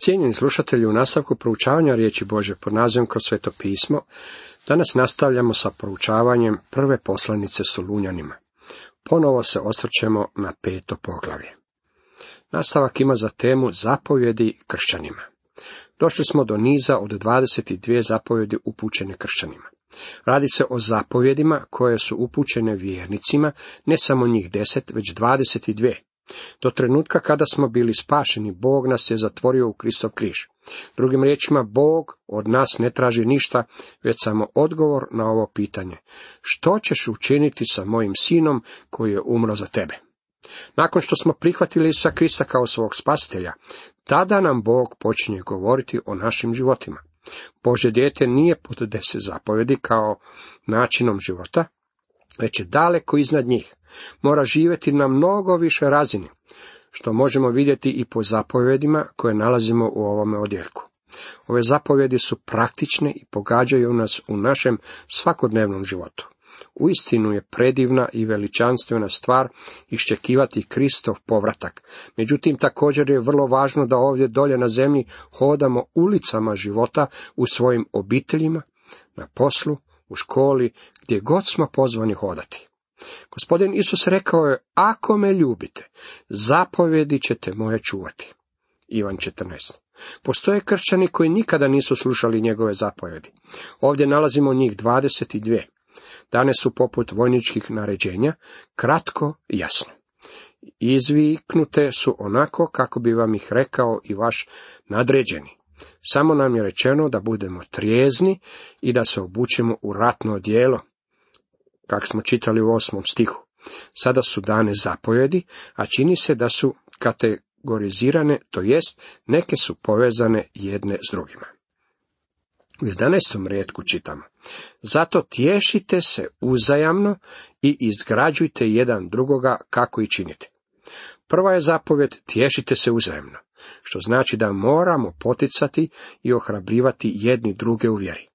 Cijenjeni slušatelji, u nastavku proučavanja riječi Božje pod nazivom Kroz Sveto pismo, danas nastavljamo sa proučavanjem prve poslanice Solunjanima. Ponovo se osvrćemo na 5. poglavlje. Nastavak ima za temu zapovjedi kršćanima. Došli smo do niza od 22 zapovjedi upućene kršćanima. Radi se o zapovjedima koje su upućene vjernicima, ne samo njih 10, već 22. Do trenutka kada smo bili spašeni, Bog nas je zatvorio u Kristov križ. Drugim riječima, Bog od nas ne traži ništa, već samo odgovor na ovo pitanje. Što ćeš učiniti sa mojim sinom koji je umro za tebe? Nakon što smo prihvatili Isusa Krista kao svog spasitelja, tada nam Bog počinje govoriti o našim životima. Božje dijete nije pod 10 zapovjedi kao načinom života, već je daleko iznad njih. Mora živjeti na mnogo više razini, što možemo vidjeti i po zapovjedima koje nalazimo u ovome odjeljku. Ove zapovjedi su praktične i pogađaju nas u našem svakodnevnom životu. Uistinu je predivna i veličanstvena stvar iščekivati Kristov povratak. Međutim, također je vrlo važno da ovdje dolje na zemlji hodamo ulicama života u svojim obiteljima, na poslu, u školi, gdje god smo pozvani hodati. Gospodin Isus rekao je, ako me ljubite, zapovjedi ćete moje čuvati. Ivan 14. Postoje kršćani koji nikada nisu slušali njegove zapovjedi. Ovdje nalazimo njih 22. Dane su poput vojničkih naređenja, kratko i jasno. Izviknute su onako kako bi vam ih rekao i vaš nadređeni. Samo nam je rečeno da budemo trijezni i da se obučemo u ratno odijelo, kako smo čitali u 8. stihu. Sada su dane zapovjedi, a čini se da su kategorizirane, to jest neke su povezane jedne s drugima. U 11. rijetku čitamo: zato tješite se uzajamno i izgrađujte jedan drugoga kako i činite. Prva je zapovjed tješite se uzajamno, što znači da moramo poticati i ohrabrivati jedni druge u vjeri.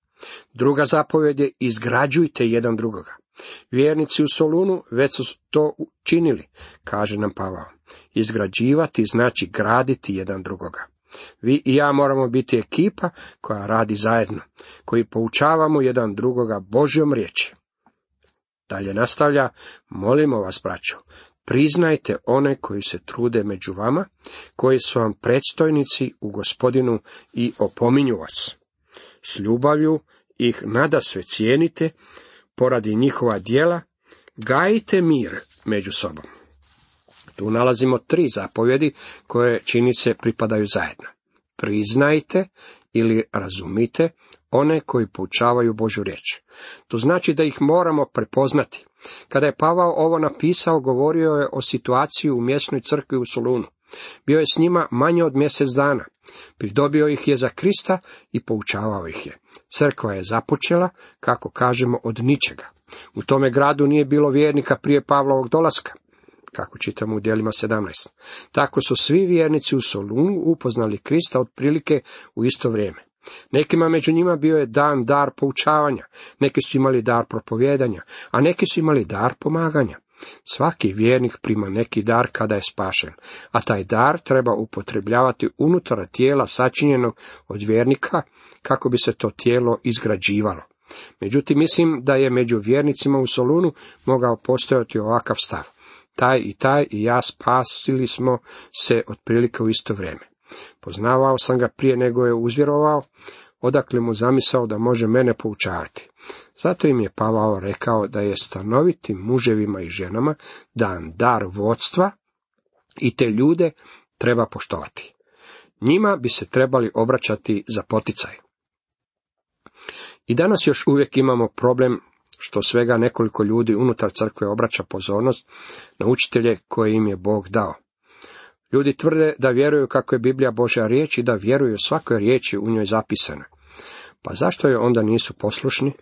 Druga zapovjed je izgrađujte jedan drugoga. Vjernici u Solunu već su to učinili, kaže nam Pavao. Izgrađivati znači graditi jedan drugoga. Vi i ja moramo biti ekipa koja radi zajedno, koji poučavamo jedan drugoga Božjom riječi. Dalje nastavlja, molimo vas, braćo, priznajte one koji se trude među vama, koji su vam predstojnici u Gospodinu i opominju vas. S ljubavlju ih nadasve cijenite, poradi njihova djela, gajite mir među sobom. Tu nalazimo 3 zapovjedi koje čini se pripadaju zajedno. Priznajte ili razumite one koji poučavaju Božju riječ. To znači da ih moramo prepoznati. Kada je Pavao ovo napisao, govorio je o situaciji u mjesnoj crkvi u Solunu. Bio je s njima manje od mjesec dana. Pridobio ih je za Krista i poučavao ih je. Crkva je započela, kako kažemo, od ničega. U tome gradu nije bilo vjernika prije Pavlovog dolaska, kako čitamo u djelima 17. Tako su svi vjernici u Solunu upoznali Krista otprilike u isto vrijeme. Nekima među njima bio je dan dar poučavanja, neki su imali dar propovijedanja, a neki su imali dar pomaganja. Svaki vjernik prima neki dar kada je spašen, a taj dar treba upotrebljavati unutar tijela sačinjenog od vjernika kako bi se to tijelo izgrađivalo. Međutim, mislim da je među vjernicima u Solunu mogao postojati ovakav stav. Taj i ja spasili smo se otprilike u isto vrijeme. Poznavao sam ga prije nego je uzvjerovao, odakle mu zamisao da može mene poučavati. Zato im je Pavao rekao da je stanovitim muževima i ženama dan dar vodstva i te ljude treba poštovati. Njima bi se trebali obraćati za poticaj. I danas još uvijek imamo problem što svega nekoliko ljudi unutar crkve obraća pozornost na učitelje koje im je Bog dao. Ljudi tvrde da vjeruju kako je Biblija Božja riječ i da vjeruju svakoj riječi u njoj zapisane. Pa zašto je onda nisu poslušni?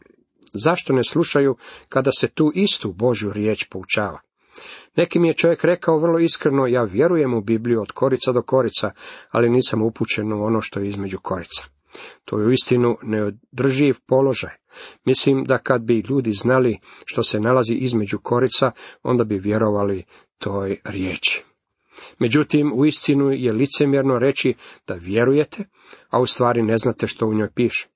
Zašto ne slušaju kada se tu istu Božju riječ poučava? Neki mi je čovjek rekao vrlo iskreno, ja vjerujem u Bibliju od korica do korica, ali nisam upućen u ono što je između korica. To je uistinu neodrživ položaj. Mislim da kad bi ljudi znali što se nalazi između korica, onda bi vjerovali toj riječi. Međutim, uistinu je licemjerno reći da vjerujete, a u stvari ne znate što u njoj piše.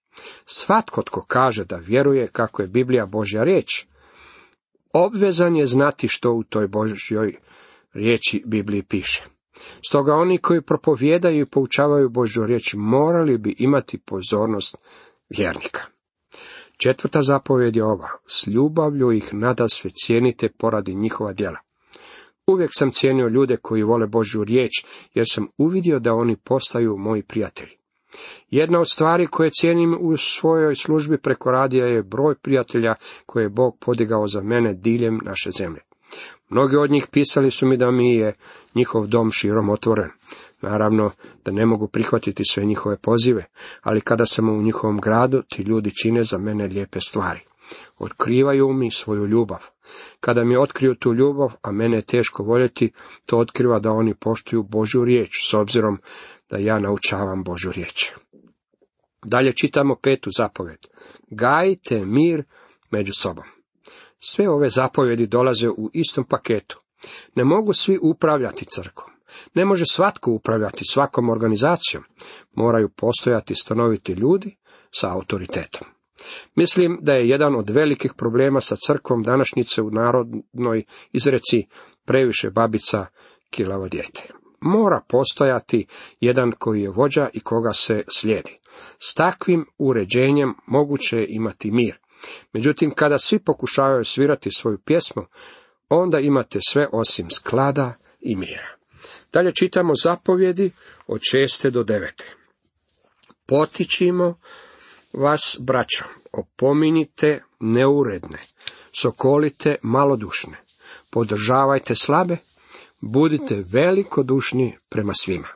Svatko tko kaže da vjeruje kako je Biblija Božja riječ, obvezan je znati što u toj Božjoj riječi Bibliji piše. Stoga oni koji propovijedaju i poučavaju Božju riječ morali bi imati pozornost vjernika. 4. zapovjed je ova: s ljubavlju ih nadasve cijenite poradi njihova djela. Uvijek sam cijenio ljude koji vole Božju riječ, jer sam uvidio da oni postaju moji prijatelji. Jedna od stvari koje cijenim u svojoj službi preko radija je broj prijatelja koje je Bog podigao za mene diljem naše zemlje. Mnogi od njih pisali su mi da mi je njihov dom širom otvoren. Naravno da ne mogu prihvatiti sve njihove pozive, ali kada sam u njihovom gradu, ti ljudi čine za mene lijepe stvari. Otkrivaju mi svoju ljubav. Kada mi otkriju tu ljubav, a mene je teško voljeti, to otkriva da oni poštuju Božju riječ, s obzirom da ja naučavam Božju riječ. Dalje čitamo 5. zapovjed. Gajite mir među sobom. Sve ove zapovjedi dolaze u istom paketu. Ne mogu svi upravljati crkvom. Ne može svatko upravljati svakom organizacijom. Moraju postojati stanoviti ljudi sa autoritetom. Mislim da je jedan od velikih problema sa crkvom današnjice u narodnoj izreci previše babica, kilavo dijete. Mora postojati jedan koji je vođa i koga se slijedi. S takvim uređenjem moguće je imati mir. Međutim, kada svi pokušavaju svirati svoju pjesmu, onda imate sve osim sklada i mira. Dalje čitamo zapovjedi od 6. do 9. Potičimo vas, braćo, opominjite neuredne, sokolite malodušne, podržavajte slabe, budite velikodušni prema svima.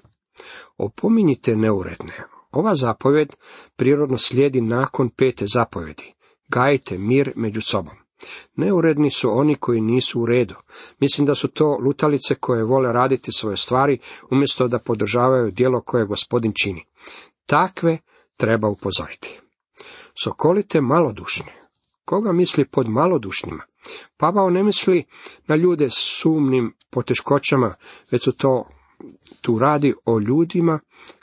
Opominjite neuredne. Ova zapovjed prirodno slijedi nakon 5. zapovjedi. Gajite mir među sobom. Neuredni su oni koji nisu u redu. Mislim da su to lutalice koje vole raditi svoje stvari, umjesto da podržavaju djelo koje Gospodin čini. Takve treba upozoriti. Sokolite malodušne. Koga misli pod malodušnjima? Pavao ne misli na ljude s sumnim poteškoćama, već su tu radi o ljudima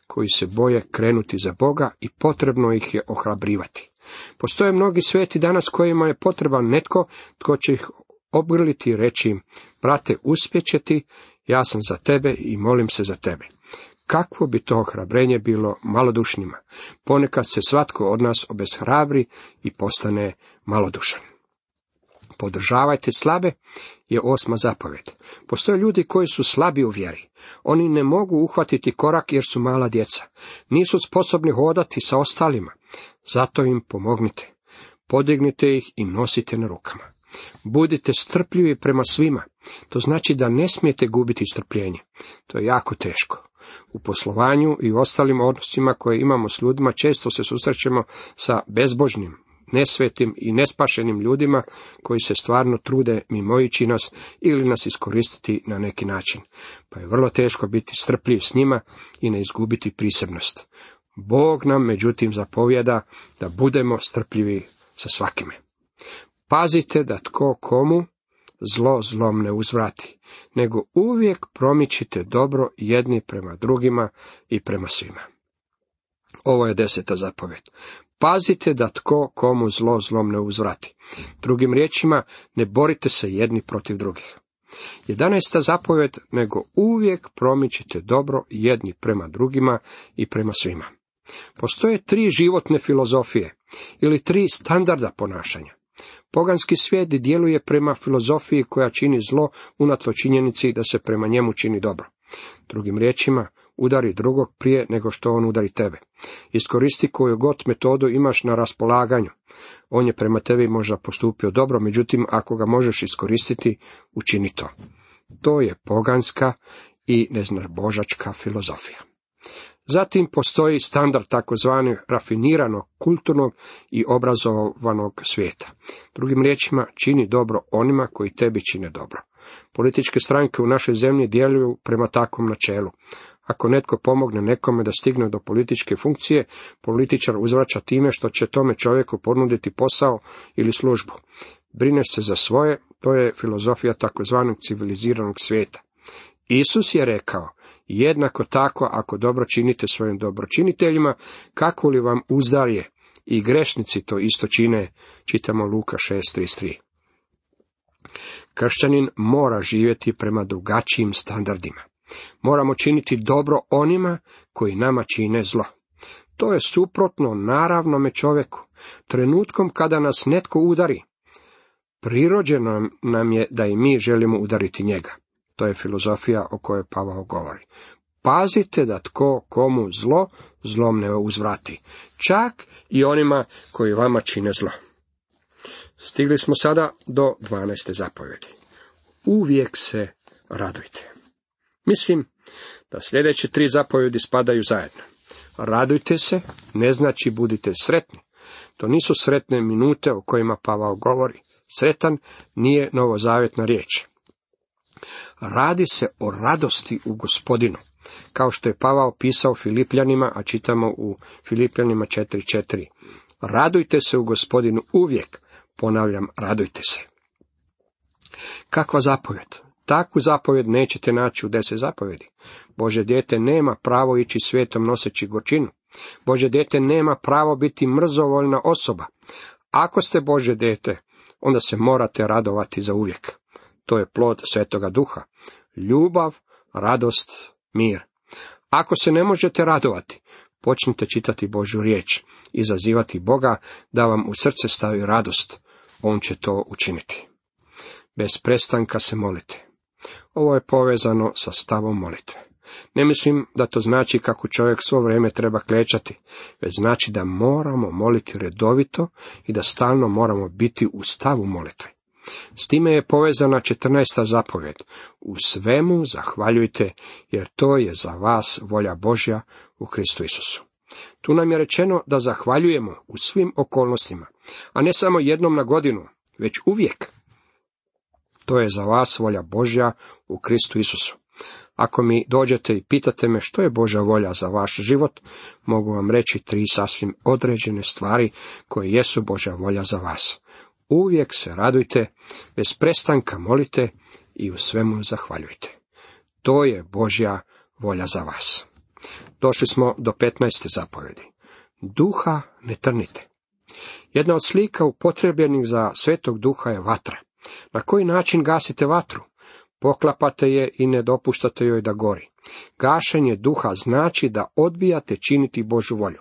koji se boje krenuti za Boga i potrebno ih je ohrabrivati. Postoje mnogi sveti danas kojima je potreban netko tko će ih obgrliti i reći im: brate, uspjeće ti, ja sam za tebe i molim se za tebe. Kakvo bi to ohrabrenje bilo malodušnjima? Ponekad se svatko od nas obeshrabri i postane malodušan. Podržavajte slabe je 8. zapovjed. Postoje ljudi koji su slabi u vjeri. Oni ne mogu uhvatiti korak jer su mala djeca. Nisu sposobni hodati sa ostalima. Zato im pomognite. Podignite ih i nosite na rukama. Budite strpljivi prema svima. To znači da ne smijete gubiti strpljenje. To je jako teško. U poslovanju i u ostalim odnosima koje imamo s ljudima često se susrećemo sa bezbožnim, nesvetim i nespašenim ljudima koji se stvarno trude mimoići nas ili nas iskoristiti na neki način. Pa je vrlo teško biti strpljiv s njima i ne izgubiti prisebnost. Bog nam međutim zapovjeda da budemo strpljivi sa svakime. Pazite da tko komu zlo zlom ne uzvrati, nego uvijek promičite dobro jedni prema drugima i prema svima. Ovo je 10. zapovjed. Pazite da tko komu zlo zlom ne uzvrati. Drugim riječima, ne borite se jedni protiv drugih. 11. zapovjed, nego uvijek promičite dobro jedni prema drugima i prema svima. Postoje 3 životne filozofije ili 3 standarda ponašanja. Poganski svijet djeluje prema filozofiji koja čini zlo unatoč činjenici da se prema njemu čini dobro. Drugim riječima, udari drugog prije nego što on udari tebe. Iskoristi koju god metodu imaš na raspolaganju. On je prema tebi možda postupio dobro, međutim ako ga možeš iskoristiti, učini to. To je poganska i neznabožačka filozofija. Zatim postoji standard takozvani rafiniranog, kulturnog i obrazovanog svijeta. Drugim riječima, čini dobro onima koji tebi čine dobro. Političke stranke u našoj zemlji djeluju prema takvom načelu. Ako netko pomogne nekome da stigne do političke funkcije, političar uzvraća time što će tome čovjeku ponuditi posao ili službu. Brineš se za svoje, to je filozofija takozvanog civiliziranog svijeta. Isus je rekao, jednako tako ako dobro činite svojim dobročiniteljima, kako li vam uzdarje, i grešnici to isto čine, čitamo Luka 6:33. Kršćanin mora živjeti prema drugačijim standardima. Moramo činiti dobro onima koji nama čine zlo. To je suprotno naravnome čovjeku. Trenutkom kada nas netko udari, prirođeno nam je da i mi želimo udariti njega. To je filozofija o kojoj Pavao govori. Pazite da tko komu zlo, zlom ne uzvrati. Čak i onima koji vama čine zlo. Stigli smo sada do 12. zapovjedi. Uvijek se radujte. Mislim da sljedeće 3 zapovjedi spadaju zajedno. Radujte se ne znači budite sretni. To nisu sretne minute o kojima Pavao govori. Sretan nije novozavjetna riječ. Radi se o radosti u Gospodinu, kao što je Pavao pisao Filipljanima, a čitamo u Filipljanima 4:4. Radujte se u Gospodinu uvijek, ponavljam, radujte se. Kakva zapovjed? Takvu zapovjed nećete naći u 10 zapovjedi. Božje dijete nema pravo ići svijetom noseći gorčinu. Božje dijete nema pravo biti mrzovoljna osoba. Ako ste Božje dijete, onda se morate radovati za uvijek. To je plod Svetoga Duha. Ljubav, radost, mir. Ako se ne možete radovati, počnite čitati Božju riječ i zazivati Boga da vam u srce stavi radost. On će to učiniti. Bez prestanka se molite. Ovo je povezano sa stavom molitve. Ne mislim da to znači kako čovjek svo vrijeme treba klečati, već znači da moramo moliti redovito i da stalno moramo biti u stavu molitve. S time je povezana 14. zapovjed. U svemu zahvaljujte, jer to je za vas volja Božja u Kristu Isusu. Tu nam je rečeno da zahvaljujemo u svim okolnostima, a ne samo jednom na godinu, već uvijek. To je za vas volja Božja u Kristu Isusu. Ako mi dođete i pitate me što je Božja volja za vaš život, mogu vam reći 3 sasvim određene stvari koje jesu Božja volja za vas. Uvijek se radujte, bez prestanka molite i u svemu zahvaljujte. To je Božja volja za vas. Došli smo do 15. zapovjedi. Duha ne trnite. Jedna od slika upotrebljenih za Svetog Duha je vatra. Na koji način gasite vatru? Poklapate je i ne dopuštate joj da gori. Gašenje duha znači da odbijate činiti Božju volju.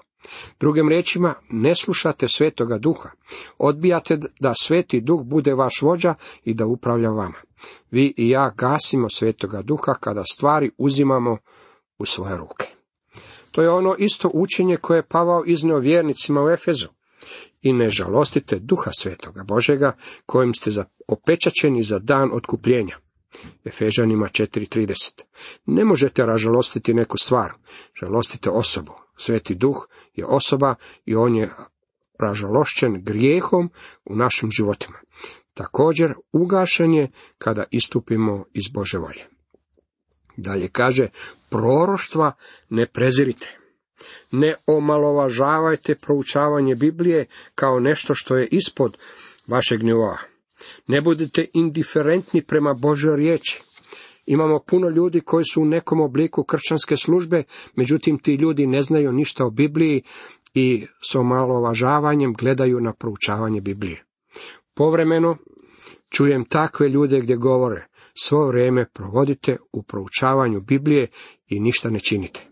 Drugim riječima, ne slušate Svetoga Duha. Odbijate da Sveti Duh bude vaš vođa i da upravlja vama. Vi i ja gasimo Svetoga Duha kada stvari uzimamo u svoje ruke. To je ono isto učenje koje je Pavao iznio vjernicima u Efezu. I ne žalostite Duha Svetoga Božega, kojim ste opečaćeni za dan otkupljenja. Efežanima 4:30. Ne možete ražalostiti neku stvar, žalostite osobu. Sveti Duh je osoba i on je ražalošćen grijehom u našim životima. Također ugašen je kada istupimo iz Božje volje. Dalje kaže, proroštva ne prezirite. Ne omalovažavajte proučavanje Biblije kao nešto što je ispod vašeg nivoa. Ne budite indiferentni prema Božjoj riječi. Imamo puno ljudi koji su u nekom obliku kršćanske službe, međutim ti ljudi ne znaju ništa o Bibliji i s omalovažavanjem gledaju na proučavanje Biblije. Povremeno čujem takve ljude gdje govore, svo vrijeme provodite u proučavanju Biblije i ništa ne činite.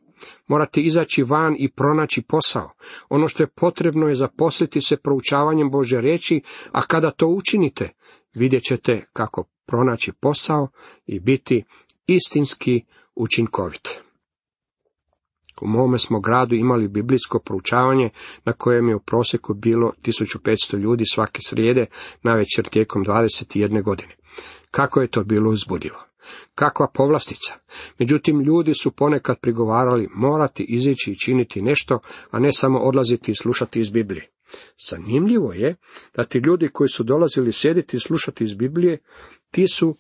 Morate izaći van i pronaći posao. Ono što je potrebno je zaposliti se proučavanjem Božje riječi, a kada to učinite, vidjet ćete kako pronaći posao i biti istinski učinkovit. U mome smo gradu imali biblijsko proučavanje na kojem je u prosjeku bilo 1500 ljudi svake srijede navečer tijekom 21 godine. Kako je to bilo uzbudljivo. Kakva povlastica. Međutim, ljudi su ponekad prigovarali morati izići i činiti nešto, a ne samo odlaziti i slušati iz Biblije. Zanimljivo je da ti ljudi koji su dolazili sjediti i slušati iz Biblije, ti su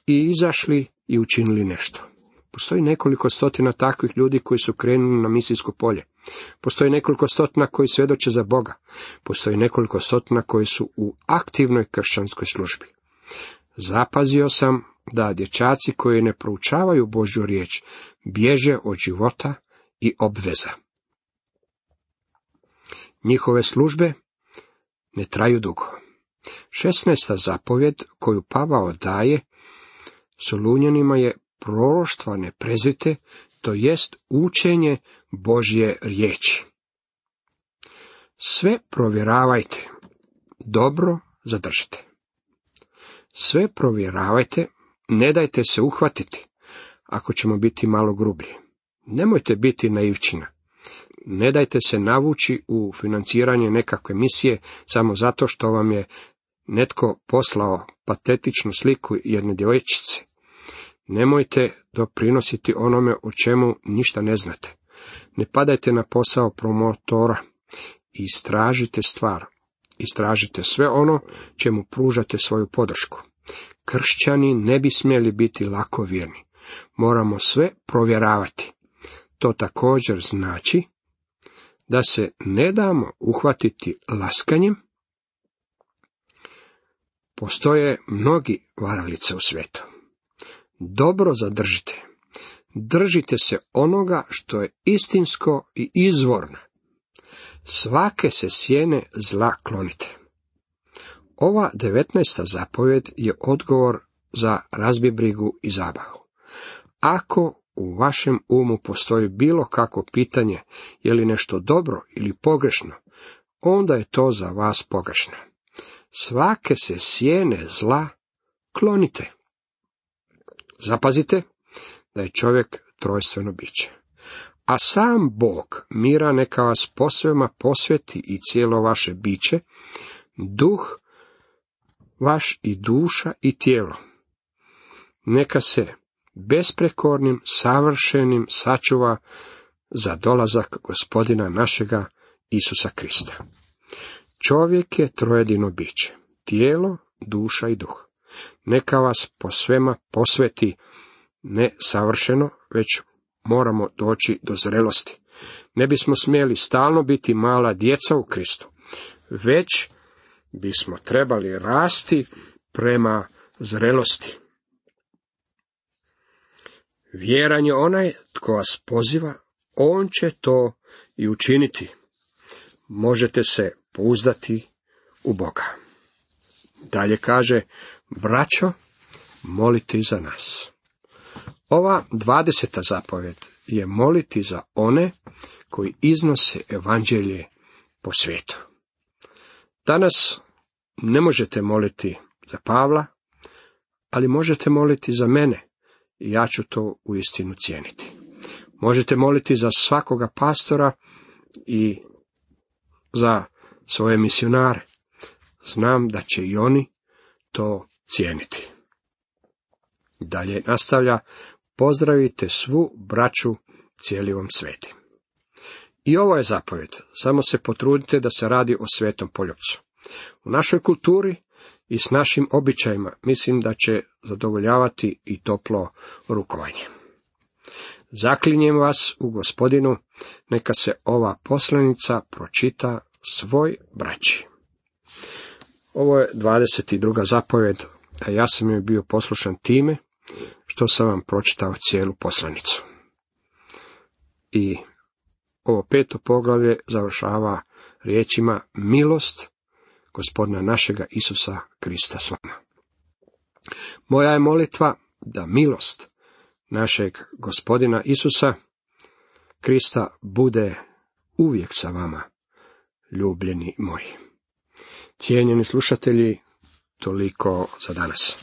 i izašli i učinili nešto. Postoji nekoliko stotina takvih ljudi koji su krenuli na misijsko polje. Postoji nekoliko stotina koji svjedoče za Boga. Postoji nekoliko stotina koji su u aktivnoj kršćanskoj službi. Zapazio sam da dječaci koji ne proučavaju Božju riječ bježe od života i obveza. Njihove službe ne traju dugo. 16. zapovjed koju Pavao daje Solunjanima je proroštva ne prezrite, to jest učenje Božje riječi. Sve provjeravajte, dobro zadržite. Sve provjeravajte, ne dajte se uhvatiti, ako ćemo biti malo grublji. Nemojte biti naivčina. Ne dajte se navući u financiranje nekakve misije samo zato što vam je netko poslao patetičnu sliku jedne djevojčice. Nemojte doprinositi onome o čemu ništa ne znate. Ne padajte na posao promotora. Istražite stvar. Istražite sve ono čemu pružate svoju podršku. Kršćani ne bi smjeli biti lakovjerni. Moramo sve provjeravati. To također znači da se ne damo uhvatiti laskanjem. Postoje mnogi varalice u svijetu. Dobro zadržite. Držite se onoga što je istinsko i izvorno. Svake se sjene zla klonite. Ova 19. zapovjed je odgovor za razbibrigu i zabavu. Ako u vašem umu postoji bilo kakvo pitanje, je li nešto dobro ili pogrešno, onda je to za vas pogrešno. Svake se sjene zla klonite. Zapazite da je čovjek trojstveno biće. A sam Bog mira neka vas posvema posveti i cijelo vaše biće, duh vaš i duša i tijelo. Neka se besprekornim, savršenim sačuva za dolazak Gospodina našega Isusa Krista. Čovjek je trojedino biće, tijelo, duša i duh. Neka vas posvema posveti, ne savršeno, već moramo doći do zrelosti. Ne bismo smjeli stalno biti mala djeca u Kristu, već bismo trebali rasti prema zrelosti. Vjeran je onaj tko vas poziva, on će to i učiniti. Možete se pouzdati u Boga. Dalje kaže, braćo, molite za nas. Ova 20. zapovjed je moliti za one koji iznose evanđelje po svijetu. Danas ne možete moliti za Pavla, ali možete moliti za mene i ja ću to uistinu cijeniti. Možete moliti za svakoga pastora i za svoje misionare. Znam da će i oni to cijeniti. Dalje nastavlja, pozdravite svu braću cijeli vam sveti. I ovo je zapovjed, samo se potrudite da se radi o svetom poljupcu. U našoj kulturi i s našim običajima mislim da će zadovoljavati i toplo rukovanje. Zaklinjem vas u Gospodinu, neka se ova poslanica pročita svoj braći. Ovo je 22. zapovjed, a ja sam joj bio poslušan time što sam vam pročitao cijelu poslanicu. I ovo 5. poglavlje završava riječima milost Gospodina našega Isusa Krista s vama. Moja je molitva da milost našeg Gospodina Isusa Krista bude uvijek sa vama, ljubljeni moji. Cijenjeni slušatelji, toliko za danas.